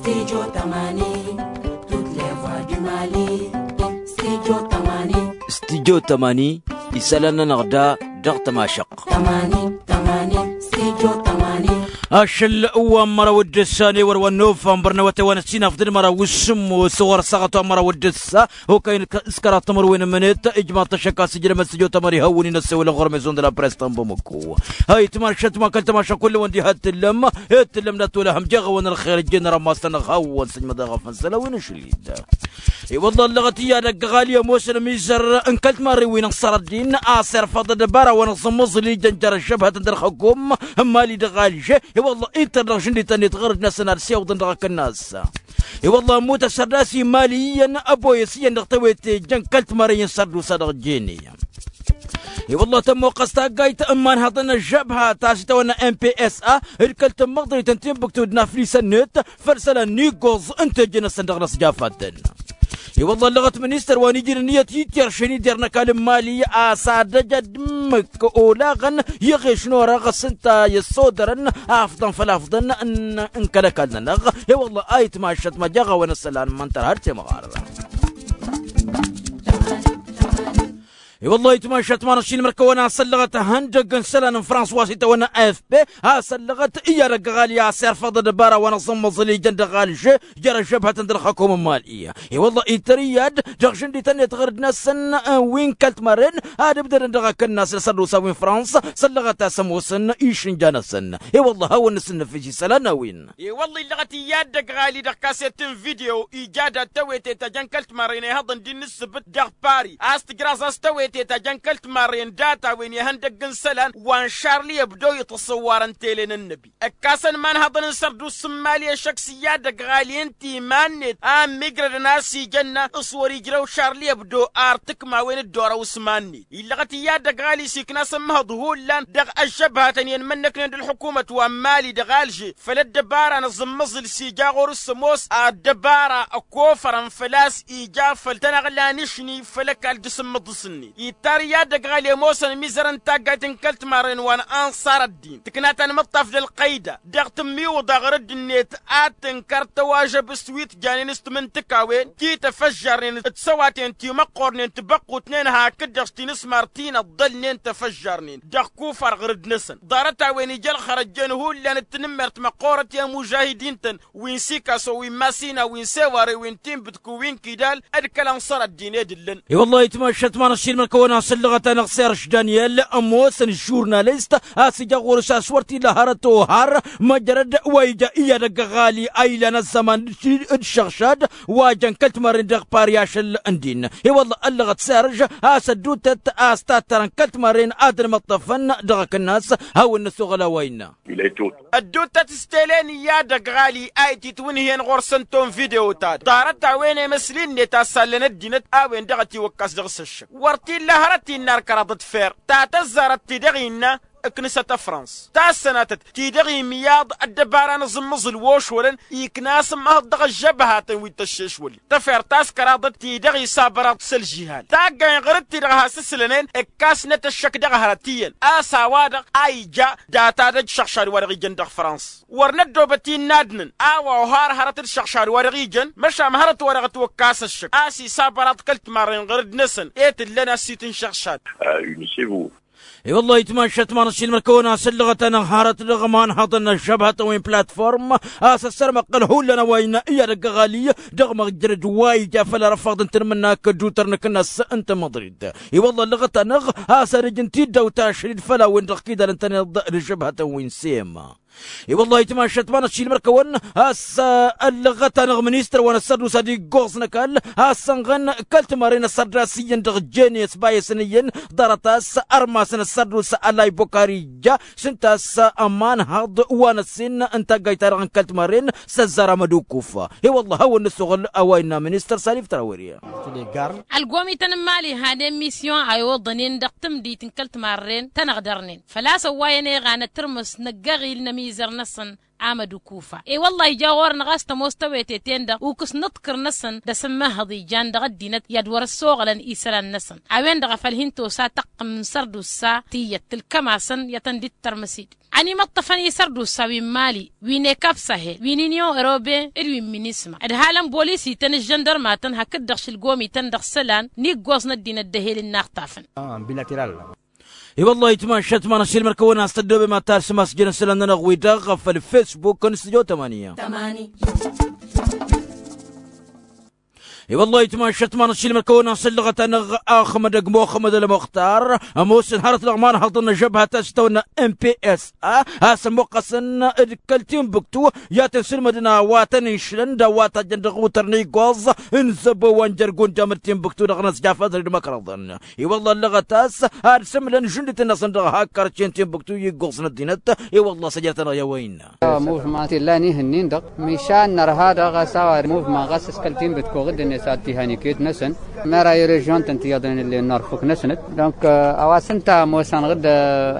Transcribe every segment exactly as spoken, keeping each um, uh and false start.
Studio tămani, toutes les voix du Mali. Studio tămani. Studio tămani, isălan-nănăɣ da dăɣ-tămašăɣt. Tămani, tămani, studio tămani. Ašăl wa n-măraw d-ǝssa n-ewăr wa n-novămbăr n-awătay wa n-ăssinafḍăn măraw s-sǝmmos ɣur-ăssaɣăt wa n-măraw d-ǝssa. Okăy n-s-kăraḍ timǝrwen n-imǝnet ijmaḍ-t ăššăk a-s ǝjrămăt s-ǝjo tamări hawăn-in ăssewălăn ɣur-maison de la presse ta n-bamăko. Hay timašat ma kăl-tămaša kull-wăn diha t-tǝllăm. Ed tǝllăm dat-wăla hăm jeɣ-awăn ălxer ǝjjeen rămas-tăn-dăɣ hawăn-sǝjmăḍ eɣăf n-isălan wi n-ašăl-i-dd. I-wălla ăllăɣăt iyyăd ăgg-ăɣali ămoosăn ămizăr n-kăl-timarren wi n-ăṣṣărăt din a-s irfăḍ ăddăbara wa n-aẓǝmmăẓǝl ijăn jer-ăžžăb hătăn d-ălxăkom n-imali dăɣ-alže. I-wălla ittăr dăɣ-žǝndităn-net ɣur-dd-năsăn ad-siwǝḍăn dăɣ-akǝnnas. I-wălla ămmut ăssărdas i-imali iyyăn ăboyăs iyyăn dăɣ-tewete jăn kăl-timarren i-n sărdusa dăɣ-jene. I-wălla tămmoqqăs taggayt n-imanhăḍăn ăžžăbhat a-s itawănna n-psa d-kăl-tǝmmăḍrit n-tinbǝktu d-inaflisăn-net făll-isălan n-iggoẓ n-teje-năsăn dăɣ-inăsjafatăn. I-wălla ăllăɣăt ministăr wa n-ijrǝn iyyăt ityăršen ider n-ăkall n-imali a-s ad-ăj ad-dd-ǝmmǝk olaɣăn i-iɣeš n-orăɣ s-ǝnta i-ăssodărăn afḍăn făll-afḍăn n-kăl-ăkall-nănăɣ. I-wălla a itmašăt ma jaɣ-a-wen ăssălan măn tărha d-temɣar. I-wălla a itmašăt ma n-ašin mărkăwăn a-s ăllăɣăt ihăndăgg n-isălan n-frans wa s-itawănna afp a-s ăllăɣăt iyyăr ăgg-ăɣali a-s irfăḍ ăddăbara wa n-aẓǝmmăẓǝl ijăn dăɣ-alže jer-ăžžăbhătăn d-ălxăkom n-imali. I-wălla ittăr iyyăd dăɣ-žǝndităn-net ɣur-dd-năsăn wi n-kăl-timarren ad-ǝbdădăn dăɣ-akǝnnas n-asărdusa wi n-frans s-ăllăɣăt a-s ămoosăn išǝnja-năsăn. I-wălla hawăn-nǝsǝnnǝfis isălan n-a-wen. I-wălla illăɣăt iyyăd dăgg-ɣali dăɣ-kaset n-video ija dat-tewete ta jăn kăl-timarren ihăḍăn d-in-ǝssǝbǝt dăɣ-pari a-s tǝjraẓ a-s tewete ta jăn kăl-timarren data-wen ihăndăgg n-isălan wa n-šarli ăbdo iṭṭăṣ ăwwarăn tele n-ănnăbi. Ǝkkasăn imanhăḍăn n-sărdusa n-imali ăššăk s-iyyăd ăgg-ɣali ǝnta iman-net a ămmigrădăn a-s ijănna s-wăr-ijrăw šarli ăbdo ar tǝkmawen dd-orăw s-iman-net. Illăɣăt iyyăd ăgg-ɣali s-ikna asǝmmăhăḍ hullan dăɣ-ăžžăbhatăn i-ănmănnăknen d-ălḥukumăt wa n-imali dăɣ-alže făll-ăddăbara n-aẓǝmmăẓǝl s-ija ɣur-s ămoos ăddăbara ăkofărăn făl-a-s ija făll-tanăɣla n-ašni făll-ăkall d-asǝmmǝḍǝs-net. Ittar iyyăd ăgg-ɣali ămoosăn ămizăr n-taggayt n-kăl-timarren wa n-anṣar ăddin tǝkna tanmǝṭṭaf d-ălqăyda dăɣ-tǝmmiwǝḍa ɣur-dd-net ad tǝnkăr tăwažăb s-wi t-janen s-timǝntǝkawen ti tăfăžžarnen d-săwaten ti măqqornen tibăqqutnen hakd-dăɣ s-tinǝsmar ti n-ăḍḍălnen tăfăžžarnen dăɣ-kufar ɣur-dd-năsăn. Ḍarăt-a-wen ija ălxărăjjen hullan d-tinǝmmert măqqorăt i-ămužahidin-tăn wi n-sikaso wi n-masina wi n-seware wi n-tinbǝtku wi n-kidal d-kăl-ănṣăr ăddin ed ǝllăn. I-wăllah itmašat ma n-ašilmăn kăwăn-asǝllăɣăt-anăɣ serž daniel ămoosăn žurnalist a-s ija ɣur-s a-s wăr t-illa hărăt ohar măjrăd wa ija iyyăd ăgg-ăɣali a ilan ăzzăman d-šăɣšad wa jăn kăl-timarren dăɣ-pari ašăl n-din. I-wăllah ăllăɣăt serž a-s ădduutăt a-s tattărăn kăl-timarren ad-ănmăṭṭăfăn dăɣ-akǝnnas hawăn-năsoɣăl a-wa innă. Ădduuttăt s-tele n-iyyăd ăgg-ɣali a ititwǝnhǝyăn ɣur-săn tom video-ta-dăɣ ḍarăt-a-wen emăsli-net a sallăn ăddinăt a-wen-dăɣ ătiwăkkas dăɣ-s ăššăk wăr t-illa hărăt innă arkăraḍăt fer ta tăzzarăt ti-dăɣ innă ǝknǝsăt ăfrăns tassănatăt ti-dăɣ imǝyyaḍ ăddăbara n-aẓǝmmăẓǝl wa ošwălăn ikna asǝmmăhăḍ dăɣ-ăžžăbhatăn wi t-ăššešwălnen tăfer ta s-kăraḍăt ti-dăɣ isabăraḍ s-ălžihal taggăyăn ɣur-dd-ti-dăɣ has-ǝslănen ǝkkasnăt ăššăk dăɣ-hărăt iyyăn a-s a-wa-dăɣ a ija data d-ăj šăɣšad wa dăɣ-ijăn dăɣ-frăns wăr năddoobăt innă ad-năn a-wa ohar hărăt d-šăɣšad wa dăɣ-ijăn măšan hărăt wa dăɣ-ătwăkkas ăššăk a-s isabăraḍ kăl-timarren ɣur-dd-năsăn i-tǝllăn a-s itǝnšăɣšad. I-wăllah itmašat ma n-ašilmăn kăwăn-asǝllăɣăt-anăɣ hărăt dăɣ-imanhăḍăn n-ăžžăbhătăn wi n-platform a-s ăssărmăqqăl hullan a-wa innă iyyăd ăgg-ăɣali dăɣ-măjrăd wa ija făll-arăfaḍ n-tanmǝnnak d-utăr n-akǝnnas n-tamăḍrit. I-wăllah ăllăɣăt-anăɣ a-s ad-ǝjǝn tiddawt ašăl-dd făll-a-wen-dăɣ kidalăn-tăn iḍ d-ăžžăbhătăn wi n-sema. I-wăllah itmašat ma n-ašilmăn kăwăn a-s ăllăɣăt-anăɣ ministăr wa n-ăssărdusa d-iggoẓ n-ăkall a-s sănɣăn kăl-timarren ăssărdas iyyăn dăɣ-jene s-bayăsăn iyyăn ḍarăt a-s ărmasăn ăssărdusa ălay bokari ija s-ǝnta a-s ămanhăḍ wa n-ăssin n-taggayt-ta-dăɣ n-kăl-timarren s-ăzzar amădukuf. I-wăllah hawăn-nǝssoɣăl a-wa innă ministăr salif trawări. Ălgomităn n-imali hanen misyon a iwǝḍnen dăɣ-tǝmdit n-kăl-timarren tăn-ăɣdărnen făl-a-s ăwwayăn eɣanăt tǝrmǝs n-ăgg-eɣil n-ămi izăr-năsăn amădukufa. E-wălla-hi ija ɣur-năɣ a-s tămoos tăwete-ten-dăɣ ukǝs n-aḍkăr-năsăn d-asǝmmăhăḍ ijan dăɣ-ăddinăt i-ad-wăr-ăssoɣălăn isălan-năsăn. A-wen-dăɣ a făl hin-tosa tăqqǝm n-sărdusa tiyyăt tǝlkăm-asăn i-ad-tăn-dd-tărmǝs-dd. Ănimăṭṭăfăn isărdusa wi n-mali, wi n-ekap sahel, wi n-inyon eroben d-wi n-minisma, ǝdhalăn bolis-ităn d-žăndărmatăn hakd-dăɣ šǝlgom-ităn dăɣ-isălan n-iggoẓ n-ăddinăt d-ehel n-inaxtafăn. I-wăllah itmašat ma n-ašilmăr kăwăn-as tăddobem ad-talsăm asjăn-isălan-nănăɣ-wi-dăɣ făll-fesbuk n-stujo tămani. I-wăllah itmašat ma n-ašilmăr kăwăn-as ăllăɣăt-anăɣ axmădăg muxămmăd ălmuxtar ămoosăn hărăt dăɣ-imanhăḍăn n-ažăbha ta s-tăwănna n p s a, a-s ămmuqqăsăn d-kăl-tinbuktu i-ad-tăn-sǝlmădăn a-wa tăn-išlăn d-a-wa tajjăn dăɣ-iwǝtăr n-iggoẓ n-zăbo wa n-jer-gunjam d-tinbuktu dăɣ-năsjafăt d-imăkrăḍăn. I-wălla ăllăɣăt a-s ad-sǝmlăn žundit-năsăn dăɣ-hakkărcen tinbuktu i-iggoẓ n-ăddinăt. I-wălla s-ăjrăt-anăɣ i-a-wa innă. Muvma t-illan ihǝnnin-dăɣ mišan nărha daɣ a-s a-wa muvma ɣas s-kăl-tinbǝtku ɣǝddǝnet ad-t-ihan iket-năsăn. Mera i-režion-tăn tiyyăḍnen ǝllen n-arfuk-năsăn donc a-wa s-ǝnta ămoosăn ɣǝdd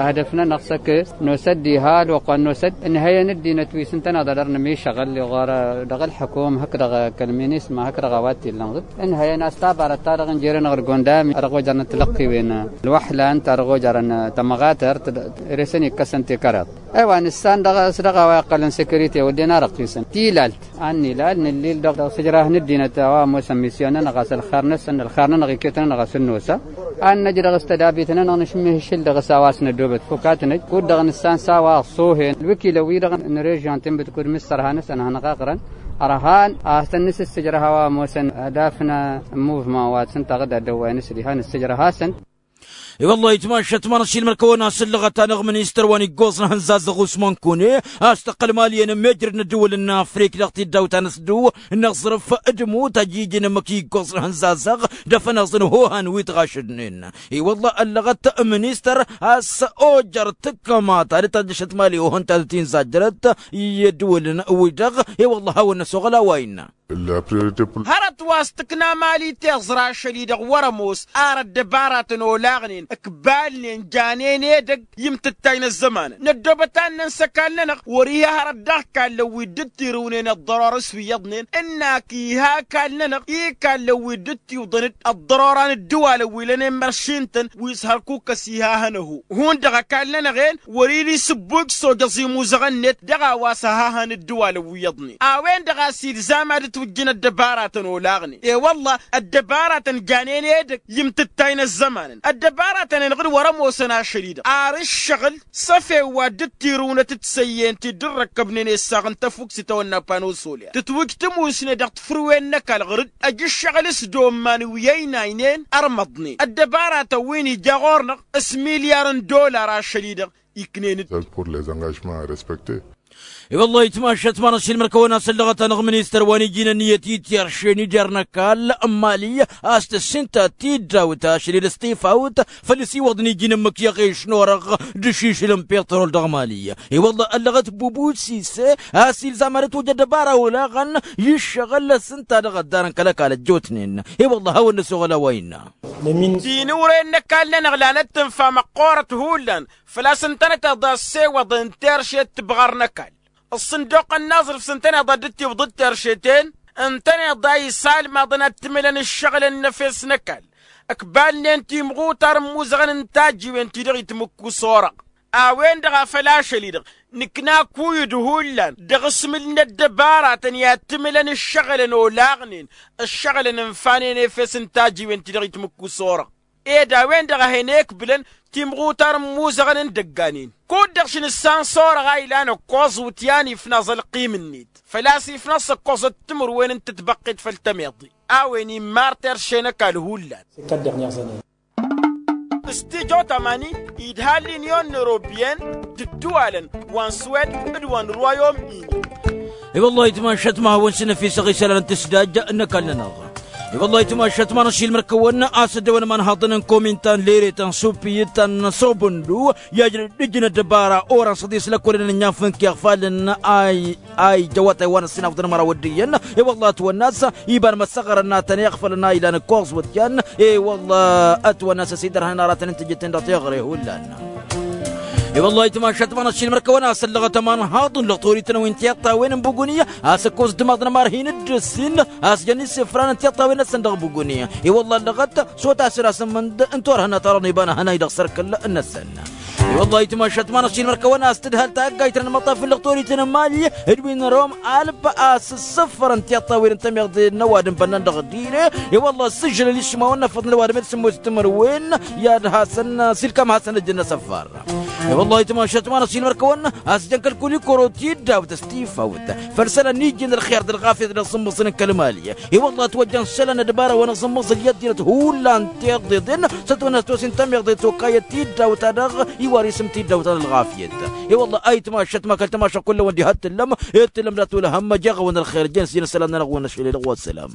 ăhdăf-nănăɣ s-ăkk. Nosăt diha ălwăqq wa n-nosăt ǝnhăyăn ăddinăt wi s-ǝntăneḍ ad-dăr-nǝmišăɣăl iɣar dăɣ-ălḥăkum hakd-dăɣ kăl-minisma hakd-dăɣ a-wa t-illăn ɣǝd. Ǝnhăyăn a-s tabarăt ta dăɣ-injeren ɣur-gondami a dăɣ-ojărnăt tilăqqiwen ălwăḥlan ta dăɣ-ojărăn tămɣatărt. Ere-săn ikkăsăn tikarăḍ. Ewa nǝssan dăɣ-s dăɣ-a-wa iqqălăn sekirite wădden arăqqisăn tilalt. Ad-nilal nǝllil dăɣ-sǝjrah n-ăddinăt a-wa ămoosăn misyon-nănăɣ a-s ălxer-năsăn ălxer-nănăɣ iket-nănăɣ a-s ǝnnosa. Ad-năj dăɣ-s tădabit-nănăɣ nǝšmǝhǝššǝl dăɣ-s a-wa s-nădobăt fukatnăj kud-dăɣ nǝssan s-a-wa ăṣṣuhen ălwǝkilăn-wi-dăɣ n-režion tinbǝt kud mǝssărha-năsăn ad-hanăɣ-aɣrăn. Ărhan ad-tăn-nǝsǝs sǝjrăh a-wa ămoosăn adaf n-muvman wa t-sǝntaɣ-dd ad-dăwwayăn s-diha nǝssǝjrăh-asăn. I-wăllah itmašat ma n-ašilmăr kăwăn-as ǝllăɣăt-anăɣ ministăr wa n-iggoẓ n-ehăn zazăɣ usman kune a-s tăqqăl mali i-enămmejrăd n-ăddǝwǝl n-afrik dăɣ-tiddawt ta n-asdǝw n-aẓrǝf d-imut ajijǝn ǝmmǝk iggoẓ n-ehăn zazăɣ. D-afănaẓ n-hohan wi t-ɣašădnen. I-wăllah ăllăɣăt ministăr a-s ojăr tǝkkăma ta d-tajjăšăt mali ohăn ta d-tinzajjărăt i-ăddǝwǝl n-wi-dăɣ. I-wăllah hawăn-năsoɣăl a-wa innă. Hărăt wa s-tǝkna mali tiẓra ašăl-i-dăɣ wăr-ămoos ar ăddăbaratăn olaɣnen ǝkbalnen janen edăgg i-imtǝttay n-ăzzămanăn năddoobăt ad-năns ăkall-nănăɣ wăr-iha hărăt dăɣ-ikallăn wi dd-tirǝwnen ăḍḍăror s-wi iyyăḍnen ǝnn'-ak iha ăkall-nănăɣ ikallăn wi dd-tiwǝḍăn-dd ăḍḍărora n-ǝddǝwalăn wi lănen măršin-tăn wi s-hărkuk ăsihahăn ăhu. Hundăɣ ăkall-nănăɣ-en wăr-ila isǝbbuj s-ojăẓ imuzăɣăn-net dăɣ-a-wa s-ăhahăn ǝddǝwalăn wi iyyăḍnen a-wen-dăɣ a-s ilzam ad-ǝtwǝjjǝn ăddăbaratăn olaɣnen i-wălla ăddăbaratăn janen edăgg i-imtǝttay n-ăzzămanăn ăddăbaratăn-en ɣǝd wăr-ămoosăn ašăl-i-dăɣ ar ǝššăɣǝl s-efew wa dd-tirǝwnăt d-săyyent-i dd-ărrăkkăbnen essaɣ n-tăfukt s-itawănna pano solya tǝtwǝj tǝmusne dăɣ-tǝfrǝwen n-ăkall ɣǝr-dd ăj ǝššăɣǝl s-domman wi ăynaynen ărmăḍnen ăddăbaratăn wi n-ija ɣur-năɣ s-milyar n-dollar ašăl-i-dăɣ iknen-dd. Pour les engagements à respecter. I-wăllah itmašat ma n-ašilmăr kăwăn-as ăllăɣăt-anăɣ ministăr wa n-iji n-ănniyăt i-tiršen ider n-ăkall n-mali a-s tǝssinta tiddawt ašăl-i-dăɣ s-tifawt făll-isiwăḍ n-iji n-ǝmmǝk i-aɣeš n-orăɣ d-ašišǝl n-piṭrol dăɣ-mali. I-wăllah ăllăɣăt bubusise a-s ilzam ad-ătwăj ăddăbara olaɣăn i-ǝššăɣǝl s-ǝnta dăɣ-ăddarăn kăl-ăkall ăjjootnen. I-wăllah hawăn-năsoɣăl a-wa innă. Tinǝwre n-ăkall-nănăɣ lanăt tǝnfa măqqoorăt hullan făl-a-s ǝntăneḍ ad-ăssewăḍăn teršet tibɣar n-ăkall ăṣṣǝnduq n-inaẓrǝf s-ǝntăneḍ ad-dd-tiwǝḍ d-teršet-en ǝntăneḍ a isalmaḍăn ad-t-mǝlăn ǝššăɣǝlăn n-efes n-ăkall ǝkbalnen timɣutar n-imuzăɣăn n-tajjiwen-ti-dăɣ itmǝkku s-orăɣ. A-wen-dăɣ a făl ašăl-i-dăɣ nǝkna kuyǝd hullan dăɣ-asmǝl n-ăddăbaratăn i-ad-t-mǝlăn ǝššăɣǝlăn olaɣnen ǝššăɣǝlăn ǝnfanen efes n-tajjiwen-ti-dăɣ itmǝkku s-orăɣ. Ed a-wen-dăɣ a hen-ekbǝlăn timɣutar n-imuzăɣăn n-idăgganen kud-dăɣ šăn ǝssan s-orăɣ a ilan ǝkkoẓ wǝtyan ifnaẓ ălqim-net făl-a-s ifnaẓ s-ǝkkoẓăt timǝrwen n-tǝtbăqqet făll-tămeḍe. A-wen immar terše n-ăkall hullan. S-tijo tamani idha l-inyon n-erobiyen d-ǝddǝwalăn wa n-swed d-wa n-rwayom-ini. I-wăllah itmašat ma hawăn-sǝnnăfisăɣ isălan n-tǝsdaj n-ăkall-nănăɣ. I-wăllah itmašat ma n-ašilmăr kăwăn-as ăddăwăn imanhaḍăn n-komintan leretăn supiyǝt ta n-sobăndu i-ajrăd d-ǝjǝn ăddăbara orăn s-ăḍis lăkkolăn n-inyafǝnk i-iɣfalăn a ija awătay wa n-ăssinafḍăn măraw ăddiyyăn. I-wăllah ătwănn'-as iba n-imăssăɣrăn n-ad-tăn-iɣfălăn a ilan ǝkkoẓ wăt-yan. I-wăllah ătwănn'-as ăsidărhăn aratăn n-tijǝtten dăɣ-teɣăre hullan. I-wăllah ayǝtmašat ma n-ašilmăr kăwăn-asăllăɣăt ămanhaḍ n-lăɣ torităn wi n-tiṭṭawen n-buguni. Asăkkos d-timaḍ n-ămarhin d-ǝssin a-s jăn isǝfran n-tiṭṭawen-năsăn dăɣ-buguni. I-wăllah ăllăɣăt s-otasăn asǝmmǝnd n-torhănna ta dăɣ-niba n-ahănay dăɣ-sărkăl-năsăn. I-wăllah ayǝtmašat ma n-ašilmăr kăwăn-as-tǝdhal taggayt n-ălmăṭṭaf n-lăɣ torităn n-imali d-wi n-rom alb a-s ǝssǝfărăn tiṭṭawen n-tamiḍe n-ăwadǝm bănnan dăɣ-dile. I-wăllah ǝssǝžžǝlăn išmawăn n-afăḍ n-ăwadǝm d-sǝmmos d-timǝrwen i-ad-hasăn s-ilkam hasăn-ăjjăn asăfar. I-wăllah ayǝtmašat ma n-ašilmăr kăwăn-as-jăn kăl-kulikoro tiddawt s-tifawt făll-isălan n-ijjin ălxer d-ălɣafyăt dăɣ-sǝmmǝẓǝl n-kăl-imali. I-wăllah ătwăjja n-isălan d-bara wa n-asǝmmǝẓǝl i-ăddinăt hullan tiḍeḍen s-ătwănna s-tosin tamiḍe tokayăt tiddawt-ta-dăɣ iwar isǝm tiddawt ta n-ălɣafyăt. I-wăllah ayǝtmašat ma kăl-tamašăɣ kull-awăn diha t-tǝllăm. Ed tǝllăm dat-wăla hămmăj eɣăwăn ălxer jăn s-jăn isălan-nănăɣ wa n-ašăl edăɣ wa s-sălam.